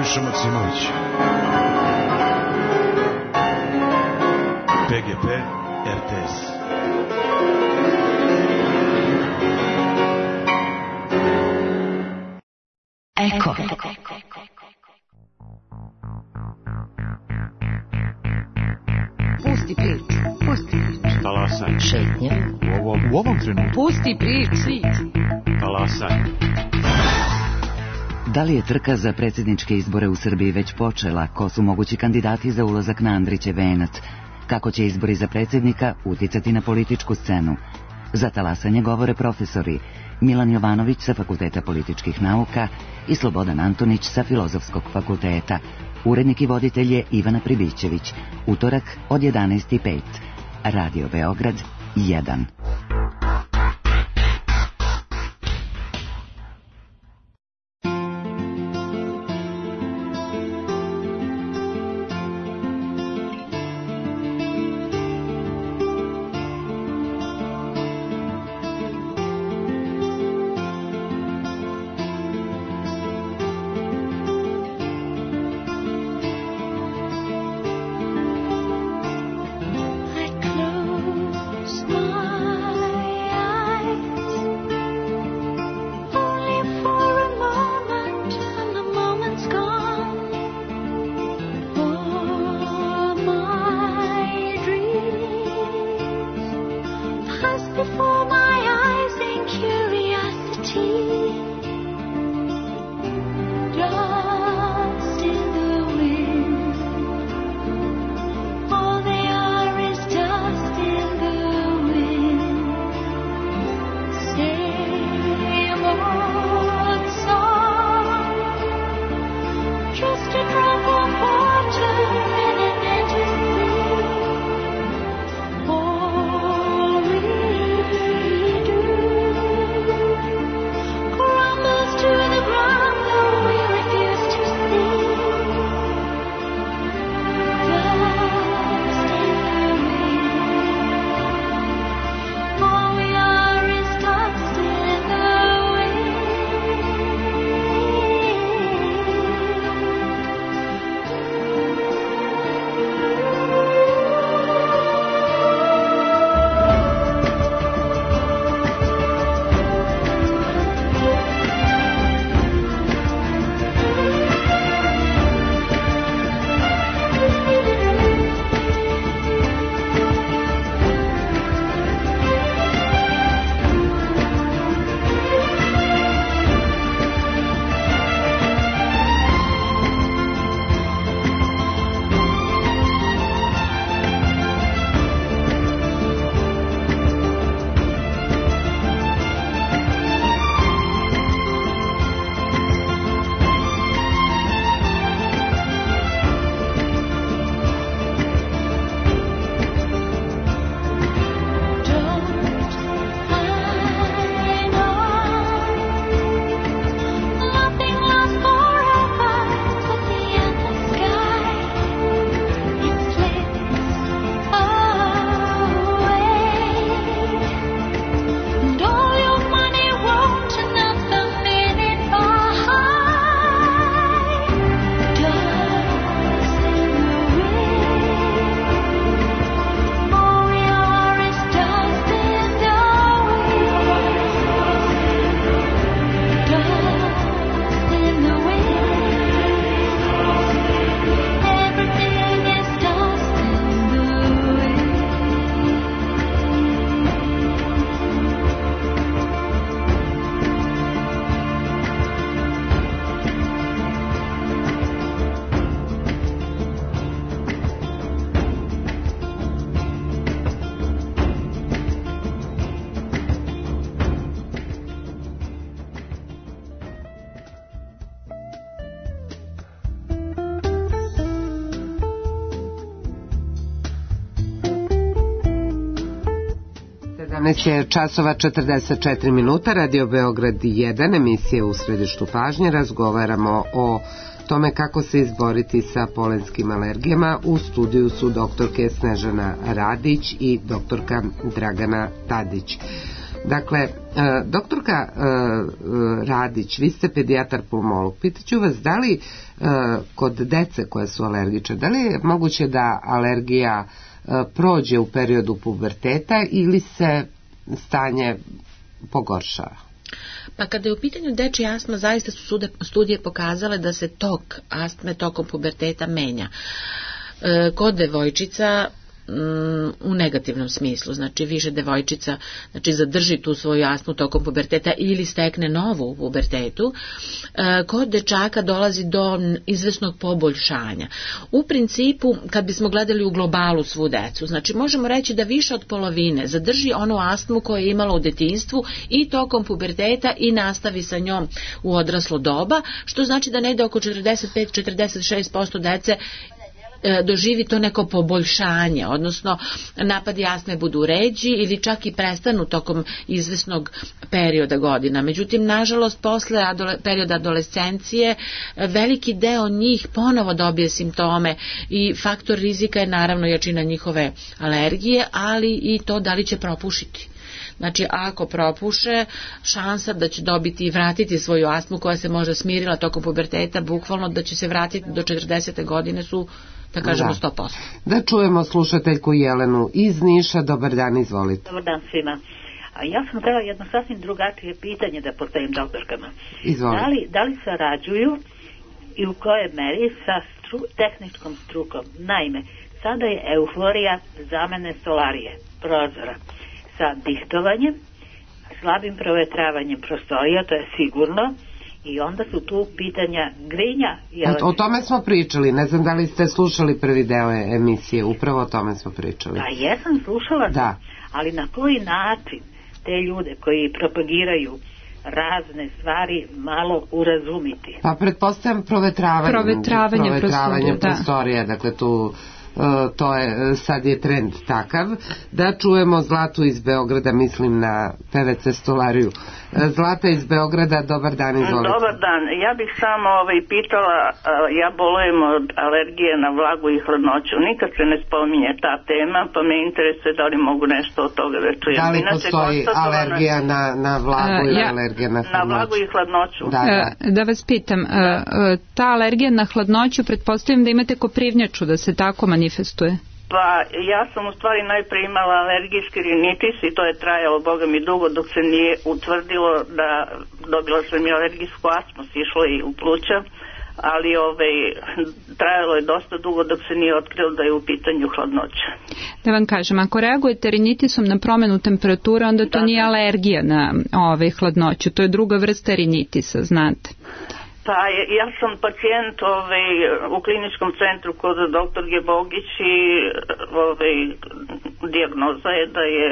Nebojša Maksimović. P G P R T S. Eko. Pusti priču, pusti priču. Talasaj. Šetnje. U ovom, u ovom trenutku. Pusti priču. Talasaj. Da li je trka za predsjedničke izbore u Srbiji već počela? Ko su mogući kandidati za ulazak na Andrićev venac? Kako će izbori za predsjednika uticati na političku scenu? Za talasanje govore profesori Milan Jovanović sa Fakulteta političkih nauka i Slobodan Antonić sa Filozofskog fakulteta. Urednik i voditelj je Ivana Pribićević. Utorak od jedanaest i pet. Radio Beograd jedan. sedamnaest je časova četrdeset četiri minuta, Radio Beograd jedan, emisija U središtu pažnje. Razgovaramo o tome kako se izboriti sa polenskim alergijama. U studiju su doktorke Snežana Radić i doktorka Dragana Tadić. Dakle, doktorka Radić, vi ste pedijatar pulmolog, pitaću vas da li kod dece koje su alergične, da li je moguće da alergija prođe u periodu puberteta ili se stanje pogoršava? Pa kada je u pitanju dečja astma, zaista su studije pokazale da se tok astme tokom puberteta menja. Kod devojčica u negativnom smislu, znači više devojčica znači zadrži tu svoju astmu tokom puberteta ili stekne novu u pubertetu. Kod dečaka dolazi do izvesnog poboljšanja. U principu, kad bismo gledali u globalu svu decu, znači možemo reći da više od polovine zadrži onu astmu koju je imala u detinjstvu i tokom puberteta i nastavi sa njom u odraslo doba, što znači da negde oko četrdeset pet do četrdeset šest posto dece doživi to neko poboljšanje, odnosno napadi astme budu ređi ili čak i prestanu tokom izvesnog perioda godina. Međutim, nažalost, posle adole, perioda adolescencije veliki deo njih ponovo dobije simptome i faktor rizika je naravno jačina njihove alergije, ali i to da li će propušiti. Znači, ako propuše, šansa da će dobiti i vratiti svoju astmu koja se možda smirila tokom puberteta, bukvalno da će se vratiti do četrdesete godine su, da kažemo, sto posto. Da čujemo slušateljku Jelenu iz Niša. Dobar dan, izvolite. Dobar dan svima. A ja sam htjela jedno sasvim drugačije pitanje da postavim doktorkama. Izvolite. Da li, da li sarađuju i u kojoj meri sa stru, tehničkom strukom? Naime, sada je euforija zamene solarije, prozora, sa dihtovanjem, slabim provetravanjem prostorija, to je sigurno, i onda su tu pitanja grinja. O, o tome smo pričali, ne znam da li ste slušali prvi deo emisije, upravo o tome smo pričali. Pa jesam, slušala da. sam, ali na koji način te ljude koji propagiraju razne stvari malo urazumiti? Pa pretpostavljam provetravanjem, provetravanjem, provetravanjem prostorija, prostorija, da. Dakle tu to je, sad je trend takav. Da čujemo Zlatu iz Beograda, mislim na P V C stolariju. Zlata iz Beograda, dobar dan, izvolite. Dobar dan, ja bih samo ovaj, pitala, ja bolujem od alergije na vlagu i hladnoću, nikad se ne spominje ta tema, pa me interesuje da li mogu nešto od toga da čujem. Da li Inače, postoji alergija na, na vlagu ili ja, alergija na hladnoću? Na vlagu i hladnoću. Da, da. da vas pitam, ta alergija na hladnoću, pretpostavljam da imate koprivnjaču, da se tako manifestuje? Pa ja sam u stvari najprije imala alergijski rinitis i to je trajalo, boga mi, dugo dok se nije utvrdilo da dobila sam i alergijsku astmu, sišlo i u pluća, ali ovaj, trajalo je dosta dugo dok se nije otkrilo da je u pitanju hladnoća. Da vam kažem, ako reagujete rinitisom na promenu temperature, onda to da, nije alergija na ovaj, hladnoću, to je druga vrsta rinitisa, znate. Pa ja sam pacijent ovaj, u kliničkom centru kod doktorke Bogić i ovaj, dijagnoza je da je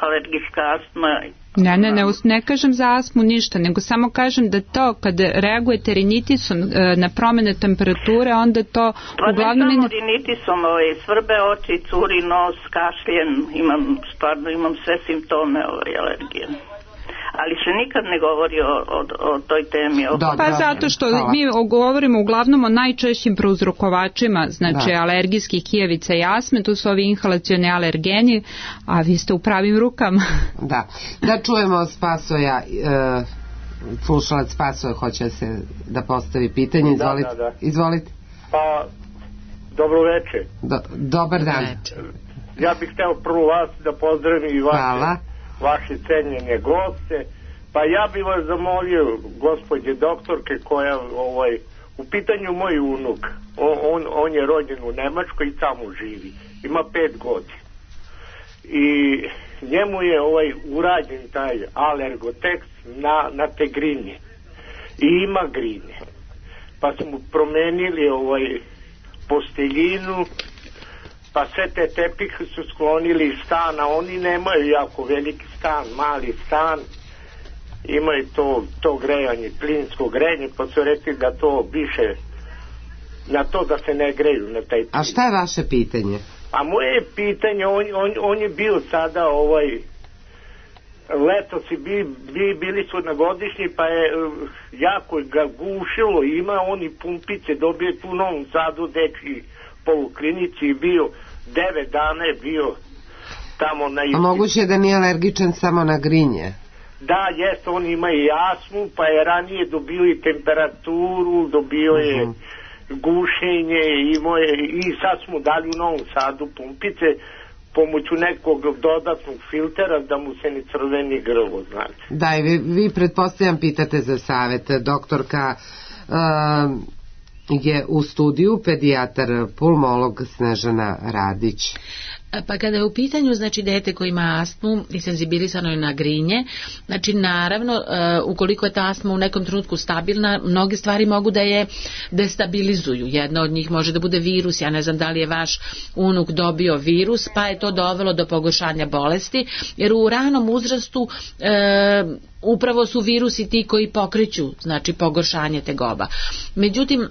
alergijska astma. Ne, ne, ne, ne kažem za astmu ništa, nego samo kažem da to kad reagujete rinitisom na promene temperature, onda to pa uglavnom... Pa ne samo rinitisom, ovaj, svrbe oči, curi nos, kašljem, imam, stvarno imam sve simptome ovaj, alergije. Ali se nikad ne govori o, o, o toj temi. O... Pa zato što Hvala. mi govorimo uglavnom o najčešćim prouzrokovačima, znači da. alergijskih kijevica i astme, to su ovi inhalacioni alergeni, a vi ste u pravim rukama. Da, da čujemo Spasoja, e, slušalac Spasoja hoće se da postavi pitanje, izvolite. Da, da, da. izvolite. Pa, dobro večer. Do, dobar dan. Ja bih hteo prvo vas da pozdravim i vaše. Hvala. vaše cenjene goste, pa ja bih vas zamolio, gospođe doktorke, koja, ovaj, u pitanju moj unuk, on, on, on je rođen u Nemačkoj i tamo živi, ima pet godina. I njemu je ovaj urađen taj alergotekst na, na te grinje. I ima grinje. Pa smo promenili ovaj posteljinu, pa sve te tepihe su sklonili iz stana, oni nemaju jako veliki stan, mali stan, imaju to, to grejanje, plinsko grejanje, pa su rekli da to više, na to da se ne greju na taj plin. A šta je vaše pitanje? A moje pitanje, on, on, on je bio sada ovaj, leto si bi, bi, bili su na godišnji, pa je jako ga gušilo, ima oni pumpice, dobije tu u Novom Sadu dečji poluklinici i bio devet dana je bio tamo na A isti. moguće je da nije alergičan samo na grinje? Da, jest, on ima i astmu, pa je ranije dobio i temperaturu, dobio je uh-huh. gušenje, imao je, i sad smo dali u Novom Sadu pumpice pomoću nekog dodatnog filtera da mu se ne crveni grlo, znači. Da, i vi, vi pretpostavljam pitate za savjet. Doktorka uh, je u studiju, pedijatar pulmolog Snežana Radić. Pa kada je u pitanju, znači, dete koji ima astmu i senzibilisano je na grinje, znači naravno uh, ukoliko je ta astma u nekom trenutku stabilna, mnoge stvari mogu da je destabilizuju. Jedna od njih može da bude virus, ja ne znam da li je vaš unuk dobio virus, pa je to dovelo do pogoršanja bolesti, jer u ranom uzrastu uh, upravo su virusi ti koji pokreću, znači, pogoršanje tegoba. Međutim,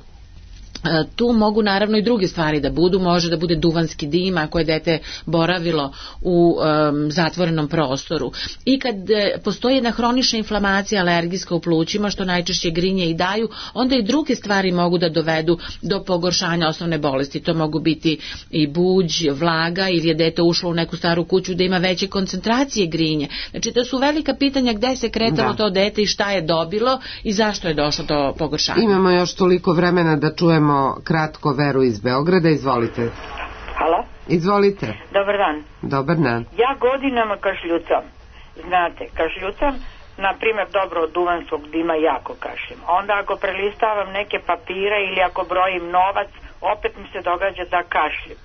tu mogu naravno i druge stvari da budu, može da bude duvanski dim ako je dete boravilo u um, zatvorenom prostoru. I kad e, postoji jedna hronična inflamacija alergijska u plućima, što najčešće grinje i daju, onda i druge stvari mogu da dovedu do pogoršanja osnovne bolesti. To mogu biti i buđ, vlaga, ili je dete ušlo u neku staru kuću da ima veće koncentracije grinje. Znači to su velika pitanja gde se kretalo da. to dete i šta je dobilo i zašto je došlo do pogoršanja. Imamo još toliko vremena da čujemo kratko Veru iz Beograda, izvolite. Halo? Izvolite. Dobar dan. Dobar dan. Ja godinama kašljucam. Znate, kašljucam, na primjer, dobro od duvanskog dima jako kašlim. Onda ako prelistavam neke papire ili ako brojim novac, opet mi se događa da kašlim.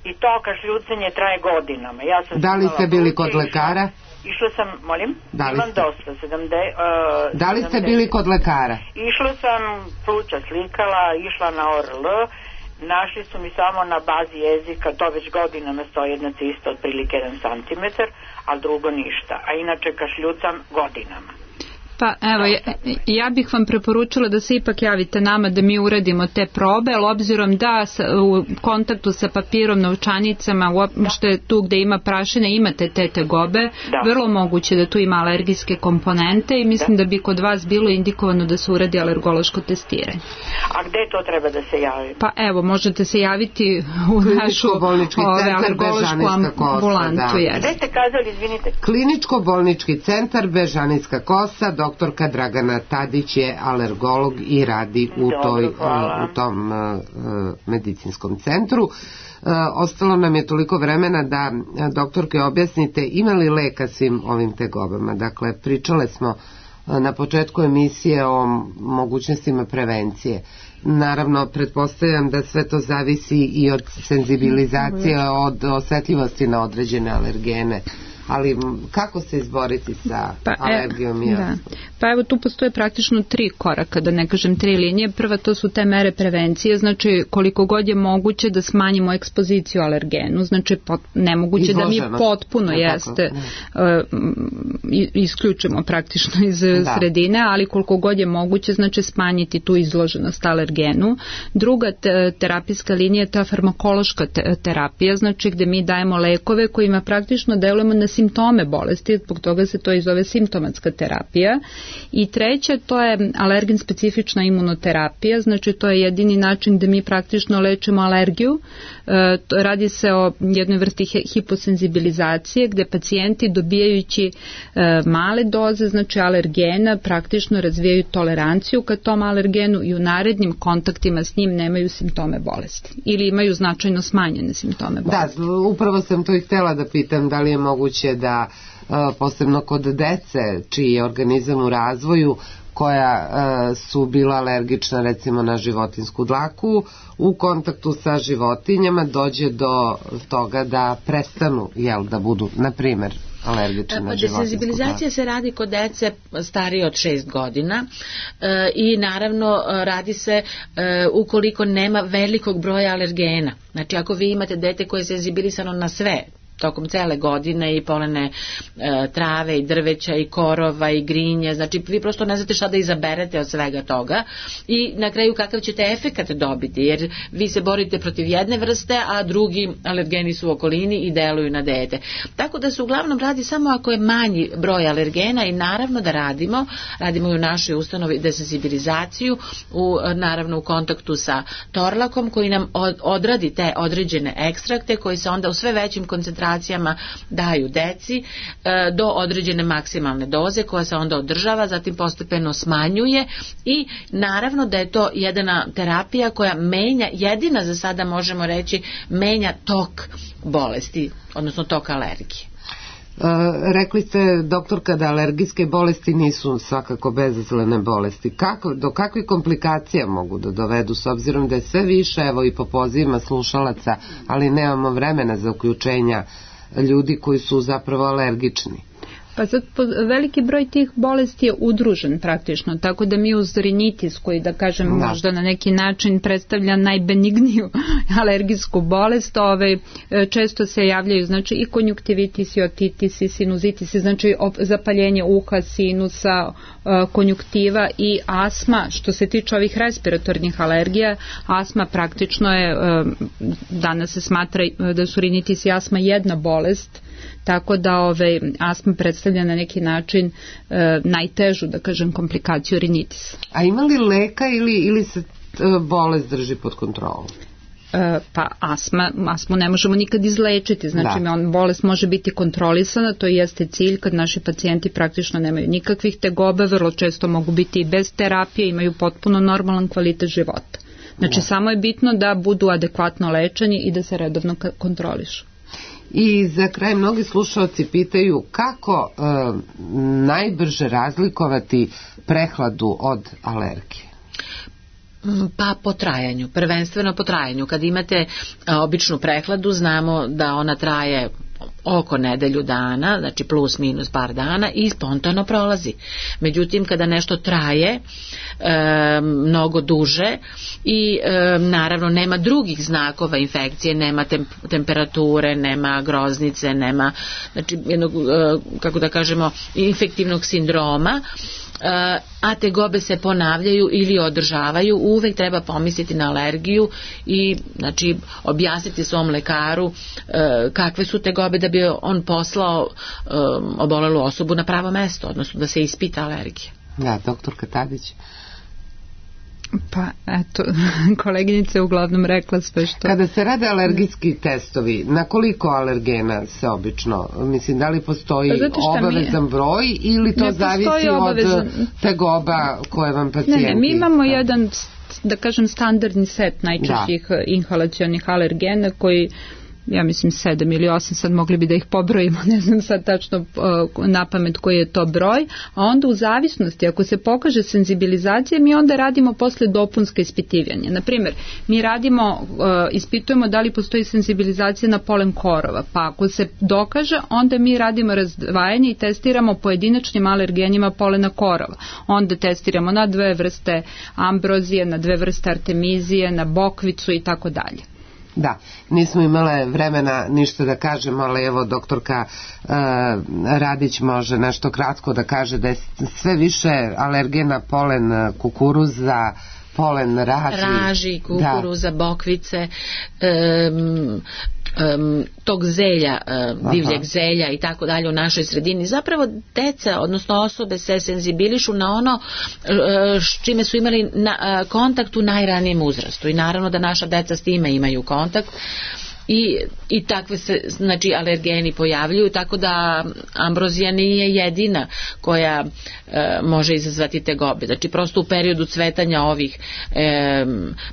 I to kašljucanje traje godinama. Ja sam da li ste bili kod lekara? Išla sam, molim, da li imam ste? dosta, sedamdeset. Uh, da li ste bili kod lekara? Išla sam, pluća slikala, išla na O R L, našli su mi samo na bazi jezika, to već godinama stoji jedna cista otprilike jedan santimetar, a drugo ništa, a inače kašljucam godinama. Pa evo, ja, ja bih vam preporučila da se ipak javite nama da mi uradimo te probe, ali obzirom da sa, u kontaktu sa papirom, novčanicama, uopšte tu gde ima prašine imate te tegobe, da. vrlo moguće da tu ima alergijske komponente i mislim da. da bi kod vas bilo indikovano da se uradi alergološko testiranje. A gde to treba da se javi? Pa evo, možete se javiti u našu ove, alergološku ambulantu. Da. Gde ste kazali, izvinite? Kliničko-bolnički centar Bežanijska kosa, doktorka Dragana Tadić je alergolog i radi u, toj, u tom uh, medicinskom centru. Uh, ostalo nam je toliko vremena da doktorke objasnite ima li leka svim ovim tegobama. Dakle, pričale smo uh, na početku emisije o mogućnostima prevencije. Naravno, pretpostavljam da sve to zavisi i od senzibilizacije, od osetljivosti na određene alergene. Ali kako se izboriti sa pa, alergijom i astmom? Pa evo tu postoje praktično tri koraka, da ne kažem tri linije. Prva to su te mere prevencije, znači koliko god je moguće da smanjimo ekspoziciju alergenu, znači pot, nemoguće Izloženo. da mi potpuno ne, jeste uh, isključimo praktično iz da. sredine, ali koliko god je moguće znači smanjiti tu izloženost alergenu. Druga te, terapijska linija je ta farmakološka te, terapija, znači gde mi dajemo lekove kojima praktično delujemo na simptome bolesti, zbog toga se to i zove simptomatska terapija. I treće, to je alergen specifična imunoterapija, znači to je jedini način da mi praktično lečimo alergiju. E, radi se o jednoj vrsti hiposenzibilizacije gde pacijenti dobijajući e, male doze, znači alergena, praktično razvijaju toleranciju ka tom alergenu i u narednim kontaktima s njim nemaju simptome bolesti ili imaju značajno smanjene simptome bolesti. Da, upravo sam to i htjela da pitam da li je moguće da posebno kod dece čiji je organizam u razvoju koja su bila alergična recimo na životinjsku dlaku u kontaktu sa životinjama dođe do toga da prestanu jel, da budu na primjer alergične na životinsku dlaku. Senzibilizacija se radi kod dece starije od šest godina e, i naravno radi se e, ukoliko nema velikog broja alergena. Znači ako vi imate dete koje je senzibilisano na sve tokom cele godine i polene e, trave i drveća i korova i grinje, znači vi prosto ne znate šta da izaberete od svega toga i na kraju kakav ćete efekat dobiti, jer vi se borite protiv jedne vrste, a drugi alergeni su u okolini i deluju na dete. Tako da se uglavnom radi samo ako je manji broj alergena i naravno da radimo, radimo i u našoj ustanovi desenzibilizaciju, u, naravno u kontaktu sa torlakom koji nam od, odradi te određene ekstrakte koji se onda u sve većim koncentracijama komplikacijama daju deci e, do određene maksimalne doze koja se onda održava, zatim postepeno smanjuje i naravno da je to jedna terapija koja menja, jedina za sada možemo reći, menja tok bolesti, odnosno tok alergije. Uh, rekli ste, doktorka, da alergijske bolesti nisu svakako bezazlene bolesti. Kako, do kakvih komplikacija mogu da dovedu, s obzirom da je sve više, evo i po pozivima slušalaca, ali nemamo vremena za uključenja ljudi koji su zapravo alergični? Pa sad veliki broj tih bolesti je udružen praktično, tako da mi uz rinitis, koji da kažem da. možda na neki način predstavlja najbenigniju alergijsku bolest, ove, često se javljaju znači i konjuktivitis, i otitis, i sinuzitis, znači zapaljenje uha, sinusa, konjuktiva i astma. Što se tiče ovih respiratornih alergija, astma praktično je, danas se smatra da su rinitis i astma jedna bolest, tako da ove, astma predstavlja na neki način e, najtežu, da kažem, komplikaciju rinitisa. A ima li leka ili, ili se bolest drži pod kontrolom? E, pa astma, astmu ne možemo nikad izlečiti, znači da. on, bolest može biti kontrolisana, to jeste cilj kad naši pacijenti praktično nemaju nikakvih tegoba, vrlo često mogu biti i bez terapije, imaju potpuno normalan kvalitet života. Znači da. samo je bitno da budu adekvatno lečeni i da se redovno kontrolišu. I za kraj mnogi slušalci pitaju kako e, najbrže razlikovati prehladu od alergije? Pa po trajanju, prvenstveno po trajanju. Kad imate a, običnu prehladu, znamo da ona traje oko nedelju dana, znači plus minus par dana i spontano prolazi. Međutim, kada nešto traje e, mnogo duže i e, naravno nema drugih znakova infekcije, nema tem, temperature, nema groznice, nema znači jednog, e, kako da kažemo, infektivnog sindroma, a tegobe se ponavljaju ili održavaju, uvek treba pomisliti na alergiju i znači objasniti svom lekaru e, kakve su tegobe da bi on poslao e, obolelu osobu na pravo mesto, odnosno da se ispita alergija. Da, doktorka Tadić. Pa eto, koleginica je uglavnom rekla sve što... Kada se rade alergijski testovi, na koliko alergena se obično, mislim, da li postoji obavezan mi... broj ili to zavisi obavezan... od tegoba koje vam pacijenti... Ne, ne, mi imamo da. jedan, da kažem, standardni set najčešćih da. inhalacionih alergena koji, ja mislim sedam ili osam, sad mogli bi da ih pobrojimo, ne znam sad tačno uh, na pamet koji je to broj, a onda u zavisnosti, ako se pokaže senzibilizacija, mi onda radimo posle dopunska ispitivanja. Naprimjer, mi radimo, uh, ispitujemo da li postoji senzibilizacija na polen korova, pa ako se dokaže, onda mi radimo razdvajanje i testiramo pojedinačnim alergenima polena korova. Onda testiramo na dve vrste ambrozije, na dve vrste artemizije, na bokvicu i tako dalje. Da, nismo imale vremena ništa da kažemo, ali evo doktorka uh, Radić može nešto kratko da kaže da je sve više alergena polen kukuruza, polen raži. Raži, kukuruza, da. bokvice, um, um, tog zelja, um, divljeg zelja i tako dalje u našoj sredini. Zapravo deca, odnosno osobe se senzibilišu na ono uh, s čime su imali na, uh, kontakt u najranijem uzrastu i naravno da naša deca s time imaju kontakt. I, i takve se znači alergeni pojavljuju, tako da ambrozija nije jedina koja e, može izazvati tegobe. Znači prosto u periodu cvetanja ovih e,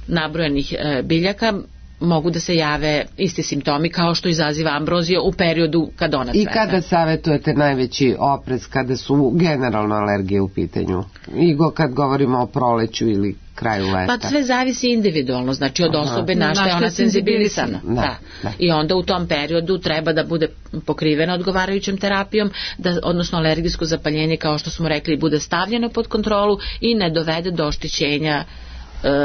nabrojanih e, biljaka mogu da se jave isti simptomi kao što izaziva ambrozija u periodu kad ona cveta. I kada savjetujete najveći oprez kada su generalno alergije u pitanju? I go, kad govorimo o proleću ili kraju leta? Pa sve zavisi individualno, znači od osobe na što je ona senzibilisana. Da, da. Da. I onda u tom periodu treba da bude pokrivena odgovarajućom terapijom, da, odnosno alergijsko zapaljenje, kao što smo rekli, bude stavljeno pod kontrolu i ne dovede do oštećenja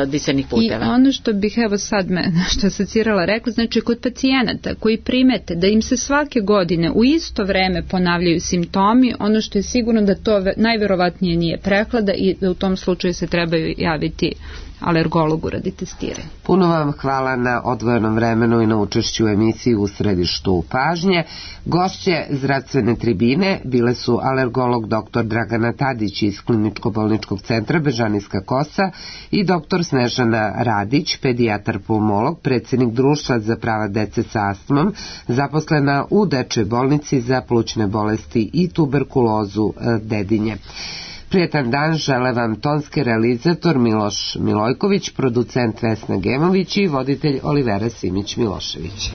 disenih puteva. I ono što bih evo sad me što asocirala rekla, znači kod pacijenata koji primete da im se svake godine u isto vreme ponavljaju simptomi, ono što je sigurno da to najverovatnije nije prehlada i da u tom slučaju se trebaju javiti alergologu radi testiranja. Puno vam hvala na odvojenom vremenu i na učešću u emisiji U središtu pažnje. Gošće zdravstvene tribine bile su alergolog doktor Dragana Tadić iz Kliničko-bolničkog centra Bežanijska Kosa i doktor Snežana Radić, pedijatar pulmolog, predsjednik Društva za prava dece sa astmom, zaposlena u Dečjoj bolnici za plućne bolesti i tuberkulozu Dedinje. Prijetan dan žele vam tonski realizator Miloš Milojković, producent Vesna Gemović i voditelj Olivera Simić-Milošević.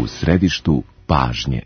U središtu pažnje.